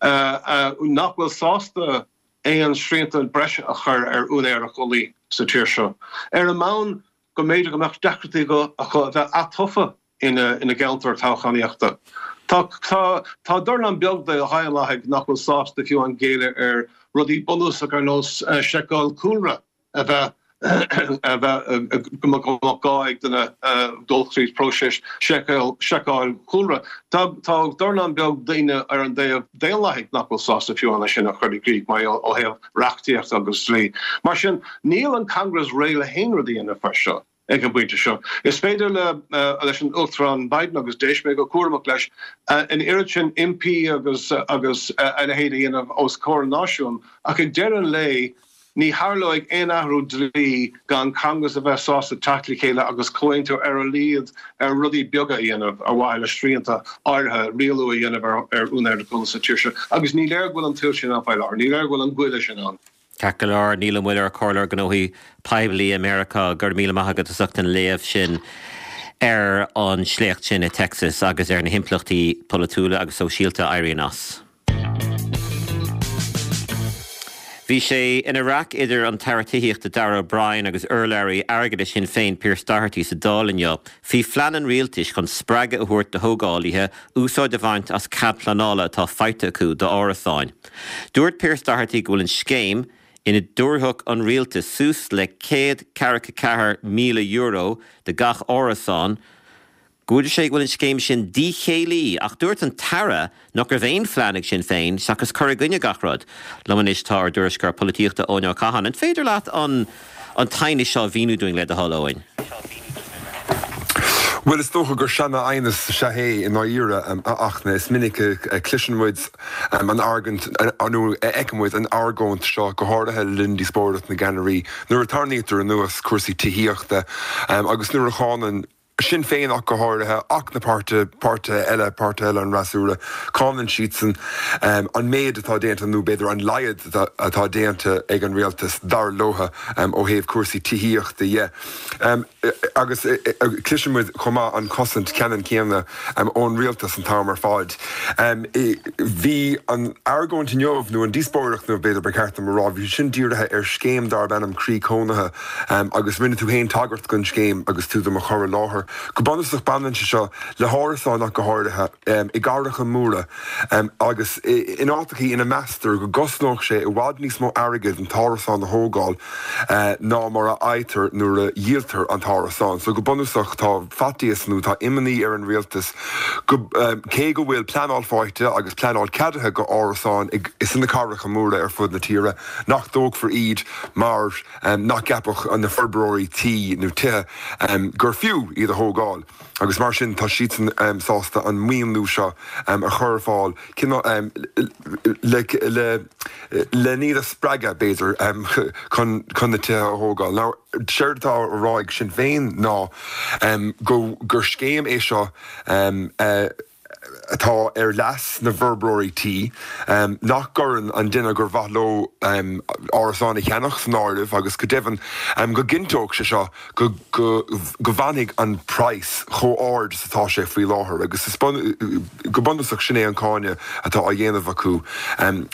nach bhfuil sásta aon srianta breise a chur ar úinéireacht gunnaí sa tír seo, ar an mbonn go mb'fhéidir go mbeadh deacrachtaí acu a bheith atofa ina gceantar toghchánaíochta. Tá, tá, tá dornán beag de Dhaonlathaigh nach bhfuil sásta fiú amháin géilleadh ar rudaí bunúsach ar nós seiceáil cúlra a bheith, a bheith, go mbeadh gá ag duine dul tríd próiseas seiceáil, seiceáil chúlra. Tá, tá dornán beag daoine ar an dtaobh Daonlathaigh nach bhfuil sásta fiú amháin é sin a chur i gcrích mar ó thaobh reachtaíochta agus dlí. Mar sin, níl an Congress réidh le haon rud a dhéanamh faoi seo. Ag an bpointe seo, is féidir leis an Uachtarán Biden, agus d'éist mé go cúramach leis, an oiread sin impí agus agus a leithéid a dhéanamh os comhair an náisiúin, ach ag deireadh an lae, ní tharlóidh aon athrú dlí gan Congress a bheith sásta teacht le chéile agus comhaontú ar a laghad ar rudaí beaga a dhéanamh ar mhaithe le srianta áirithe, rialú a dhéanamh ar úinéireacht gunna sa tír seo. Agus ní léir go bhfuil an toil sin ann faoi láthair. Ní léir go bhfuil an goile sin ann. Ceart go leor, Niall Ó Muilleoir, Comhairleoir Gnóthaí Poiblí i Meiriceá, go raibh míle maith agat as ucht an léamh sin ar an sléacht sin i Texas agus ar na himpleachtaí polaitiúla agus sóisialta a éiríonn as. Bhí sé ina raic idir an tAire Tithíochta Darragh O'Brien agus urlabhraí airgeadais Shinn Féin Pearse Doherty sa Dáil inniu faoi phlean an rialtais chun spreagadh a thabhairt do thógálaithe úsáid a bhaint as cead pleanála atá faighte acu d'árasáin. Dúirt Pearse Doherty go bhfuil an scéim, ina dtabharfadh an rialtas suas le €144,000 do gach árasán, go bhfuil sé go bhfuil an scéim sin díchéillí ach dúirt an tAire nach raibh aon phlean ag Sinn Féin seachas cur i gcoinne gach rud. Liom anois tá ár dtuairisceoir polaitíochta Eoin Ó Catháin. An féidir leat an an t-aighneas seo a mhíniú dúinn le do thoil, Eoin? Bhuel, is dócha gur seana-aighneas is ea é i ndáiríre, a Fhachtna. Is minic a chloiseann muid an argóint, nó a fheiceann muid an argóint seo, go háirithe le linn díospóireacht na gceannairí, nuair a tarraingítear anuas cúrsaí tithíochta agus nuair a cháineann. Sinn Féin ach go háirithe, ach na páirtithe eile, páirtithe eile an fhreasúra, cáineann siadsan an méid atá déanta, nó b'fhéidir an laghad atá déanta ag an rialtas, dar leo, ó thaobh cúrsaí tithíochta dhe. Agus cloiseann muid chomh maith an chosaint ceannann céanna ón rialtas an t-am ar fad. Bhí an argóint inniu, nó an díospóireacht inniu b'fhéidir ba cheart dom a rá, bhí sin dírithe ar scéim darb ainm Croí Cónaithe agus rinne tú féin tagairt don scéim agus tú do mo chur i láthair. Go bunúsach baineann sé seo le hárasáin ach go háirithe i gcathracha móra agus in áiteachaí ina meastar go gcosnódh sé i bhfad níos mó airgid an t-árasán a thógáil ná mar a fhaightear nuair a dhíoltar an t-árasán. So go bunúsach tá faitíos nó tá imní ar an rialtas go, cé go bhfuil pleanáil faighte agus pleanáil ceadaithe go árasáin sna cathracha móra ar fud na tíre, nach dtógfar iad mar nach gceapfadh na forbróirí tí nó tithe gur fiú iad a thógáil. Agus mar sin tá siadsan sásta an maoiniú seo a chur ar fáil le len iad a spreagadh, b'fhéidir, chun na tithe a thógáil. Now, séard atá á rá ag Sinn Féin ná gur scéim é seo atá ar leas na bhforbróirí tí, nach gcuireann an duine gur mhaith leo árasán a cheannach san áireamh agus go deimhin go gcinnteodh sé seo go go bhfanfaidh an praghas chomh ard is atá sé faoi láthair agus is go bunúsach sin é an cáineadh atá á dhéanamh acu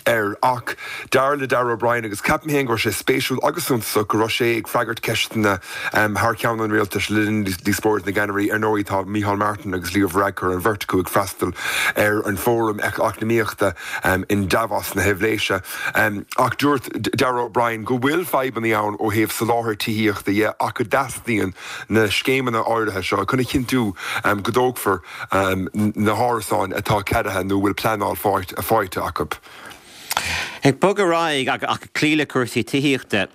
air. Ach dar le Darragh O'Brien, agus ceapaim féin go raibh sé spéisiúil agus suntasach go raibh sé ag freagairt ceisteanna thar ceann an rialtais le linn díospóireacht na gceannairí, ar ndóigh tá Micheál Martin agus Leo Varadkar, an bheirt acu ag freastal ar an Fóram Eacnamaíochta in Davos na hEilvéise. Ach dúirt Darragh O'Brien go bhfuil fadhbanna ann ó thaobh soláthar tithíochta dhe ach go dteastaíonn na scéimeanna áirithe seo chun a chinntiú go dtógfar na hárasáin atá ceadaithe nó a bhfuil pleanáil faighte acu. Ag bogadh ar aghaidh ach ag cloí le cúrsaí tithíochta.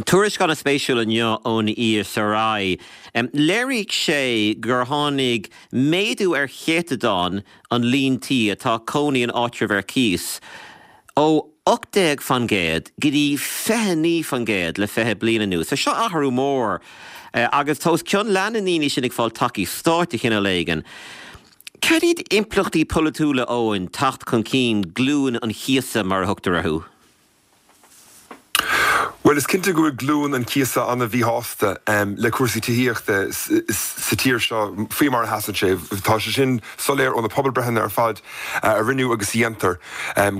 Tuairisc an-spéisiúil inniu ón ESRI. Léirigh sé gur tháinig méadú ar chéatadán an líon tí atá cónaí in áitreabh ar cíos ó 18 fan gcéad go dtí 29 fan gcéad le 20 bliain anuas. So seo athrú mór agus tá os cionn leath na ndaoine sin ag fáil tacaíocht stáit de chineál éigin. Cad iad impleachtaí polaitiúla, Eoin, teacht chun cinn glúin an chíosa mar a thugtar orthu? Bhuel, is cinnte go bhfuil glúin an chíosa an-mhíshásta le cúrsaí tithíochta sa tír seo faoi mar a sheasann sé. Tá sé sin soiléir ó na pobalbreitheanna ar fad a rinneadh agus a dhéantar,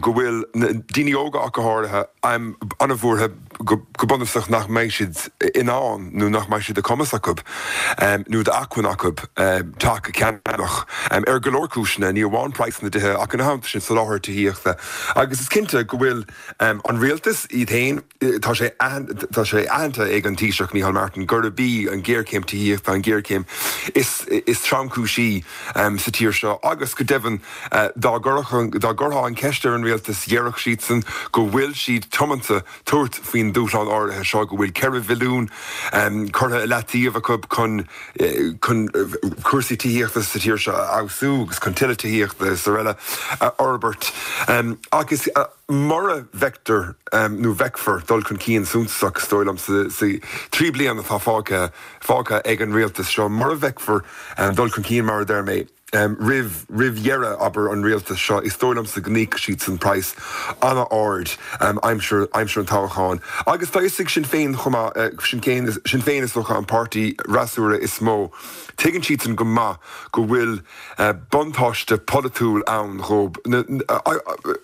go bhfuil na daoine óga ach go háirithe an-bhuartha go bunúsach nach mbeidh siad in ann nó nach mbeidh sé de chumas acu nó d'acmhainn acu teach a cheannach ar go leor cúiseanna, ní amháin praghas na dtithe ach ina theannta sin soláthar tithíochta. Agus is cinnte go bhfuil An rialtas iad féin, tá sé tá sé aitheanta ag an Taoiseach Micheál Martin gurb í an ghéarchéim tithíochta an ghéarchéim is is tromchúisí sa tír seo agus go deimhin dá gcuirfeá dá gcuirfeá an cheist ar an rialtas déarfadh siadsan go bhfuil siad tiomanta tabhairt faoin dúshlán áirithe seo, go bhfuil 4 bhilliún curtha i leataobh acu chun chun cúrsaí tithíochta sa tír seo a fheabhsú agus chun tuilleadh tithíochta is araile a fhorbairt. Ach is mura bhfeictear nó bhfeicfear dul chun cinn suntasach, is dóigh liom, sa 3 bliana atá fágtha fágtha ag an rialtas seo, mura bhfeicfear dul chun cinn, mar a deir mé, roimh roimh dheireadh, abair, an rialtais seo, is dóigh liomsa go n-íocfaidh siadsan praghas an-ard aimsir aimsir an toghcháin. Agus tá a fhios ag Sinn Féin chomh maith, Sinn Féin Sinn Féin is dócha an páirtí fhreasúra is mó, tuigeann siadsan go maith go bhfuil buntáiste polaitiúil ann dhóibh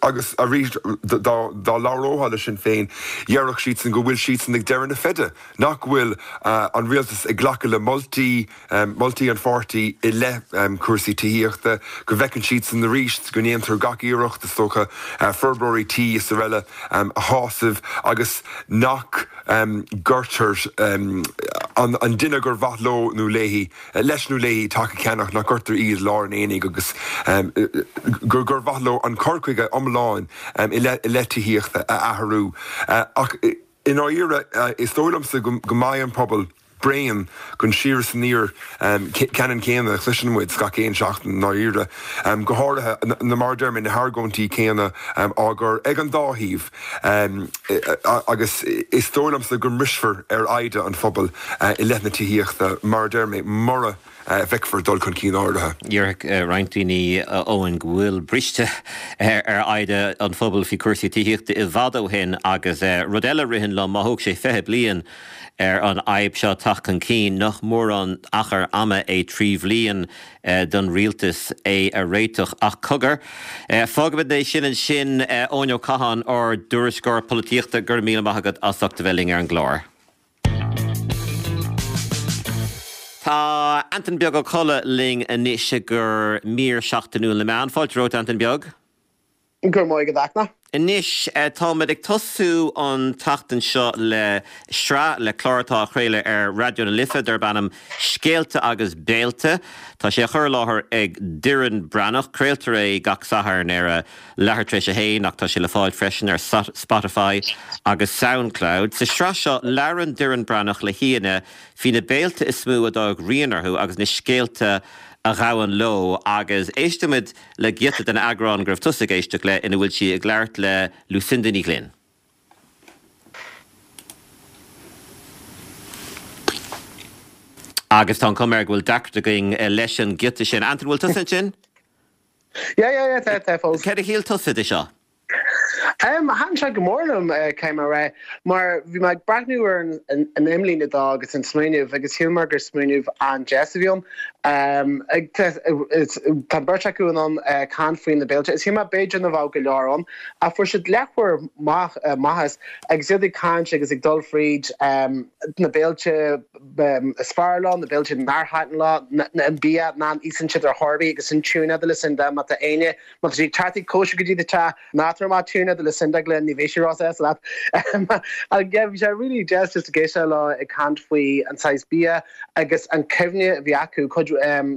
agus arís dá dá labhrófá le Sinn Féin, dhéarfadh siadsan go bhfuil siadsan ag deireadh na feide, nach bhfuil an rialtas ag glacadh le moltaí moltaí an pháirtí i leith cúrsaí tithíochta, go bhfeiceann siadsan arís go ndéantar gach iarracht, is dócha, forbróirí tí is araile a shásamh agus nach gcuirtear an duine gur mhaith leo nó léi, leis nó léi teach a cheannach, nach gcuirtear iad i lár an aonaigh agus gur mhaith leo an cur chuige iomlán i leith tithíochta a athrú. Ach i ndáiríre, is dóigh liomsa go mbeidh an pobal bréan den siar is aniar ceannann céanna a chloiseann muid gach aon seachtain i ndáiríre, go háirithe na, mar a deir mé, na hargóintí céanna á gcur ag an dá thaobh agus is dóigh liomsa go mbrisfear ar fhoighde an phobail i leith na tithíochta, mar a deir mé, mura. Feicfear dul chun cinn áirithe. Déarfadh roinnt daoine, a Eoin, go bhfuil briste ar fhoighne an phobail faoi chúrsaí tithíochta i bhfad ó shin agus rud eile a ritheann liom, má thóg sé 20 bliain ar an fhadhb seo teacht chun cinn, nach mórán achar ama é 3 bhliain don rialtas é a réiteach. Ach cogar, fágfaimid é sin ansin. Eoin Ó Catháin, ár dtuairisceoir polaitíochta, go raibh míle maith agat as ucht a bheith linn ar an gclár. Tá Antain Beag Ó Colla linn anois i gcomhair mír seachtainiúil na meán. Fáilte romhat, Antain Beag. Go raibh maith agat, a Fhachtna. Anois, táimid ag tosú an tseachtain seo le sraith, le clár atá á chraoladh ar Raidió na Life darb ainm Scéalta agus Béilte. Tá sé á chur i láthair ag Doireann Breathnach. Craoltar é gach Satharn ar a leathuair tar éis a haon ach tá sé le fáil freisin ar Spotify agus Soundcloud. Sa sraith seo, labhrann Doireann Breathnach le haíonna faoi na béilte is mó a d'fhág rian orthu agus na scéalta a ghabhann leo agus éistfimid le giota den eagrán go raibh tusa ag éisteacht le ina bhfuil sí ag labhairt le Lucinda Ní Ghlinn. Agus tá an chuma air go bhfuil deacracht againn leis an giota sin. Antain, bhfuil tusa ansin? Yeah, yeah, yeah, tá, tá fós. Céard a shíl tusa de seo? Um, thaitin sé go mór liom, eh, caithfidh mé a rá, mar bhí mé ag breathnú ar an, an, an imlíne dó agus an smaoineamh agus shíl mé gur smaoineamh an-deas a bhí ann. Um, ag, tá, is, tá an bheirt acu in ann eh, caint faoi na béilte. Is shíl mé b'fhéidir nach bheadh go leor ann, ach fuair siad leathuair maith, eh, maith as agus iad ag caint agus ag dul fríd um, na béilte is fearr leo, na béilte nár thaitin leo, an bia nach n-íosann siad ar chor ar bith agus an tuna de Lucinda, má tá éinne, má tá sí ag teacht ag cóisir go dtí do teach, ná tabhair amach tuna de Lucinda Glynn, ní bheidh sí róshásta leat. Ach yeah, bhí sé really deas just ag éisteacht leo ag caint faoi an saghas bia agus an cuimhne a bhí acu, cuid,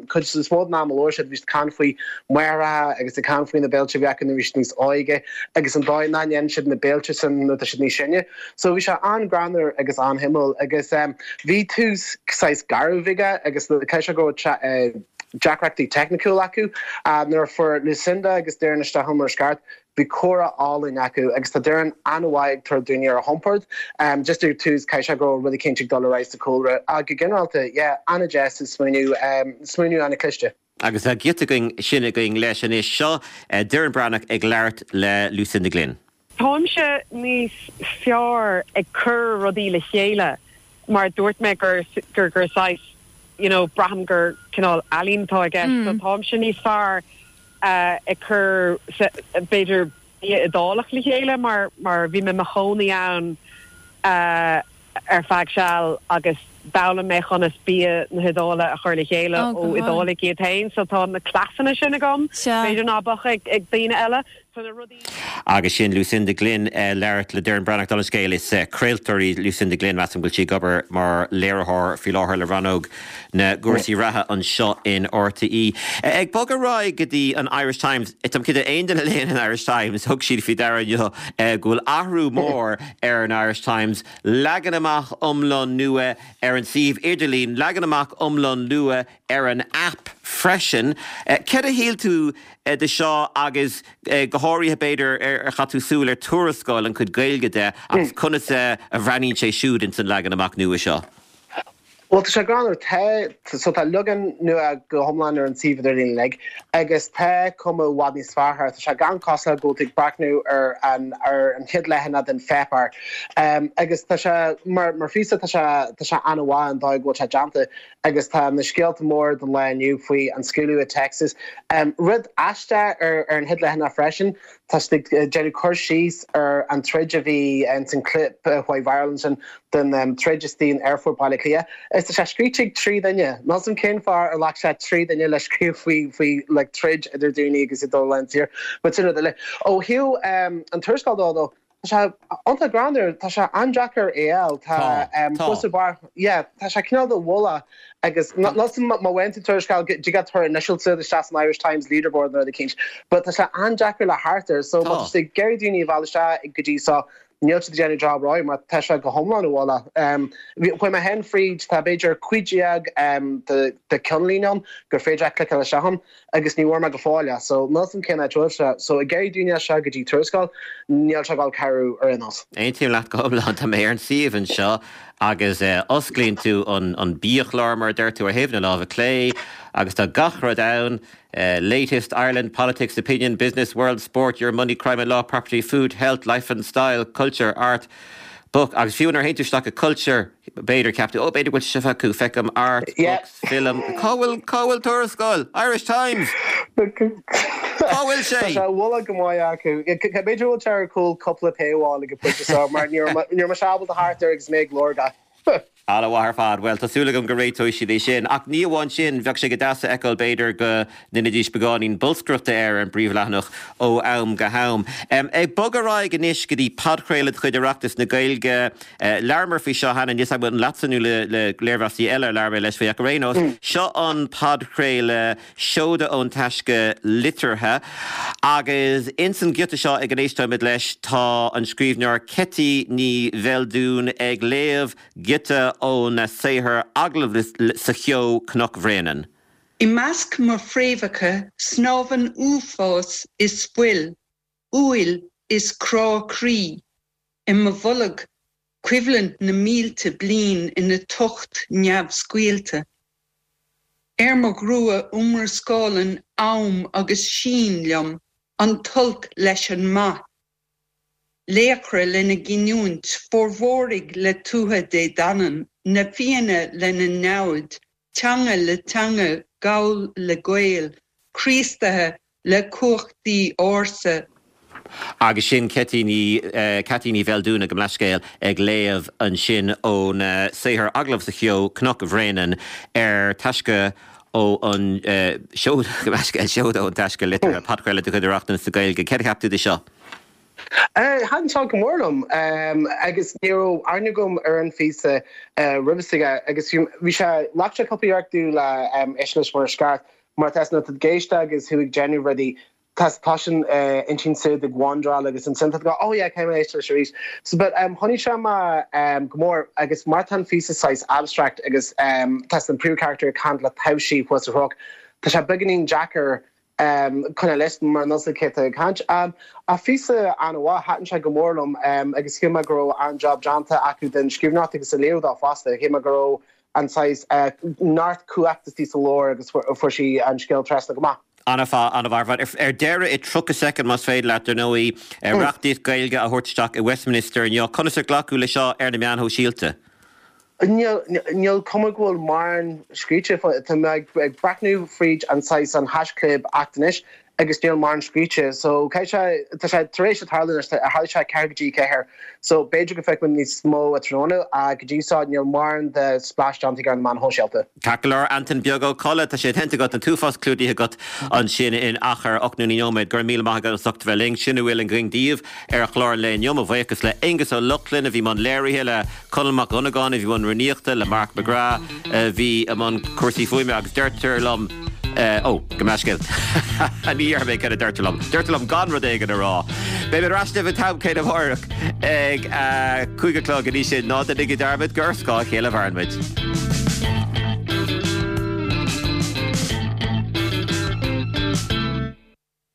cuid is mó den am a labhair siad, bhí siad ag caint faoi máithreacha agus ag caint faoi na béilte a bhí acu nuair a bhí siad níos óige agus an dóigh nach ndéanann siad na béilte sin nuair atá siad níos sine. So bhí sé an-ghreannmhar agus an-shuimiúil agus bhí tús saghas garbh aige agus caithfidh sé go raibh deacrachtaí teicniciúil acu. Nuair a fuair Lucinda agus Doireann isteach sa seomra ceart, bhí comhrá álainn acu agus tá Doireann an-mhaith ag tabhairt daoine ar a chompord. Just ar tús caithfidh sé go raibh rud eicínt ag dul ar aghaidh sa chúlra. Ach go ginearálta, yeah, an-deas an smaoineamh, smaoineamh an-chliste. Agus tá giota againn sin againn leis anois. Seo Doireann Breathnach ag labhairt le Lucinda Glynn. Táimse níos fearr ag cur rudaí le chéile mar dúirt mé gur gur gur saghas you know braithim gur cineál ealaín atá i gceist so táimse níos fearr ag cur b'fhéidir bia Iodálach le chéile mar mar bhí mé i mo chónaí ann ar feadh seal agus d'fhoghlaim mé conas bia na hIodáile a chur le chéile ó Iodálaigh iad féin so tá na cleasanna sin agam, b'fhéidir ná beadh ag daoine eile. So na rudaí. Agus sin Lucinda Glynn ag labhairt le Doireann Breathnach. Dála an scéil, is craoltóir í Lucinda Glynn, measaim go bhfuil sí ag obair mar léiritheoir faoi láthair le rannóg na gcúrsaí reatha anseo in RTÉ. Ag bogadh ar aghaidh go dtí an Irish Times, táim cinnte aon duine a léann an Irish Times, thug siad faoi deara inniu go bhfuil athrú mór ar an Irish Times, leagan amach iomlán nua ar an suíomh idirlín, leagan amach iomlán nua ar an aip freisin. Céard a shíl tú de seo agus go háirithe b'fhéidir ar chaith tú súil ar Tuarascáil, an chuid Gaeilge de agus conas a bhreathnaíonn sé siúd ins an leagan amach nua seo? Bhuel, tá sé greannmhar. Tá, so tá leagan nua go hiomlán ar an suíomh idirlín uilig agus tá cuma i bhfad níos fearr air. Tá sé gan cosúil le go bhfuil tú ag breathnú ar an, ar an chéad leathanach den pháipéar. Agus tá sé, mar, mar phíosa, tá sé, tá sé an-mhaith an dóigh go bhfuil sé déanta agus tá na scéalta móra don lá inniu faoi an scaoileadh i Texas. Rud aisteach ar, ar an chéad leathanach freisin, Tá siad ag déanamh cur síos ar an troid a bhí ins an clip a chuaigh viral ansin den troid istigh in Aerfort Baile Átha Cliath. Is tá sé scríte ag 3 duine. Níl 's a'm cén fáth ar ghlac sé 3 duine le scríobh faoi faoi like troid idir daoine agus iad dul lán siar. But sin rud eile. Ó thaobh an tuarascáil dó though, tá sé iontach greannmhar, tá sé an-deacair é a fháil. Tá Tá. Tá. Tá. Yeah, tá sé cineál de mhullach Agus níl 's a'm má bhain tú tuarascáil do you get her initials isteach san Irish Times leaderboard nó rud eicínt. But tá sé an-deacair le theacht air so má tá tú ag iarraidh daoine a mhealladh isteach go dtí so. Níl siad ag déanamh job rómhaith mar tá sé go hiomlán i bhfolach. Chuaigh mé féin fríd, tá b'fhéidir 15 de ceannlíne ann gur féidir leat cliceáil isteach ann agus ní bhfuair mé go fóill é. So níl 's a'm cén áit a bhfuil sé. So ag iarraidh daoine isteach go dtí Tuarascáil, níl sé ag dul cabhrú ar aon nós. Aontaím leat go hiomlán. Tá mé ar an suíomh anseo agus osclaíonn tú an biachlár mar a deir tú ar thaobh na láimhe clé agus tá gach rud ann. Latest, Ireland, Politics, Opinion, Business, World, Sport, Your Money, Crime and Law, Property, Food, Health, Life and Style, Culture, Art, Book agus fiú nuair a théann tú isteach i Culture, b'fhéidir, ceap tú, oh b'fhéidir go bhfuil sé seo acu, feicim Art, Books, Film, cá bhfuil, cá bhfuil Tuarascáil? Irish Times! Cá bhfuil sé? Tá sé i bhfolach go maith acu. B'fhéidir go bhfuil sé ar chúl cúpla paywall ag an bpointe seo mar ní raibh mise ábalta theacht air agus mé ag lorg é. Ana-mhaith ar fad. Bhuel, tá súil agam go réiteoidh siad é sin. Ach ní amháin sin, bheadh sé go deas a fheiceáil b'fhéidir go ndéanfaidís beagáinín bolscaireachta air ar an bpríomhleathanach ó am go ham. Ag bogadh ar aghaidh anois go dtí podchraoladh de chuid Oireachtas na Gaeilge. Labhramar faoi seo cheana, níl 's agam an leatsa nó le léirmheasaí eile a labhair mé leis faoi ach ar aon nós, seo an podchraoladh Seoda ón Taisce Liteartha. Agus ins an ghiota seo ag a n-éisteoimid leis tá an scríbhneoir Ceití Ní Bheildiúin ag léamh giota óna saothar Agallamh sa Cheo, Cnoc Bhréanainn. I measc mo phréamhacha snámhann uafás is fuil, uaill is crá croí, i mo bholg coimhlint na mílte bliain ina tocht neamhscaoilte. Ar mo ghrua iomrascálann am agus sín liom an t-olc leis an maith. Laochra lena gcinniúint, Fomhóraigh le Tuatha Dé Danann, na Fianna lena namhaid, teanga le teanga, Gall le Gael, Críostaithe le cumhachtaí ársa. Agus sin Ceití Ní, Ceaití Ní Bheildiúin gabh mo leithscéal, ag léamh ansin óna saothar Agallamh sa Cheo, Cnoc Bhréanainn, ar taisce ó an, Seoda, gabh mo leithscéal, Seoda ón Taisce Liteartha, podchraoladh de chuid Oireachtas na Gaeilge. Céard a cheap tú de seo? Thaitin seo go mór liom agus ní raibh aithne agam ar an phíosa roimhe s'aige agus bhí sé, ghlac sé cúpla iarracht domh le éisteacht leis mar is ceart mar tá nuair atá tú ag éisteacht agus thú ag déanamh rudaí tá tá an intinn siúd ag wandráil agus ansin tá tú ag oh yeah caithfidh mé éisteacht leis arís. So but choinnigh sé mé go mór agus mar tá an phíosa saghas abstract agus tá an príomhcharachtar ag caint le taibhsí thuas ar chnoc tá sé beagáinín deacair coinneáil leis mar níl 's agat cé atá ag caint. Ach phíosa an-mhaith, thaitin sé go mór liom agus shíl mé go raibh an-job déanta acu den scríbhneoireacht agus an léiriú dó fosta. Shíl mé go raibh an saghas neart cumhachta istigh sa leabhar agus fuair sí an scéal trasna go maith. An-mhaith, an-mhaith ar fad. Ar deireadh, i 30 soicind más féidir leat, dar ndóigh, reachtaíocht Gaeilge á thabhairt isteach i Westminster inniu. Conas ar glacadh leis seo ar na meáin shóisialta? Níl, níl cuma go bhfuil mórán scríte faoi. Tá mé ag breathnú fríd an saghas an haischlib act anois agus níl mórán scríte. So caithfidh sé, tá sé tar éis tarlú anois, tharla sé 4 go dtí 4. So b'fhéidir go bhfeicfidh muid níos mó tráthnóna ach go dtí seo níl mórán de splash déanta ar na meáin shóisialta. Ceart go leor, Antain Beag Ó Colla, tá sé déanta agat, an t-uafás clúdaithe agat ansin in achar 8 nó 9 nóiméad. Go raibh míle maith agat as ucht a bheith linn. Sin a bhfuil againn daoibh ar chlár an lae inniu. Mo bhuíochas le Aengus Ó Lochlainn a bhí i mbun léirithe, le Conall Mac Dhonnagáin a bhí i mbun rúnaíochta, le Mark McGrath a bhí i mbun cúrsaí fuaime agus deirtear liom, ó, gabh mo leithscéal, ní dhéarfaidh mé céard a deirtear liom, deirtear liom gan rud éigin a rá. Beidh mé ar ais libh an t-am céanna amárach ag a 5 a chlog, go dtí sin, ná déanaigí dearmad gur ar scáth a chéile a mhaireann muid.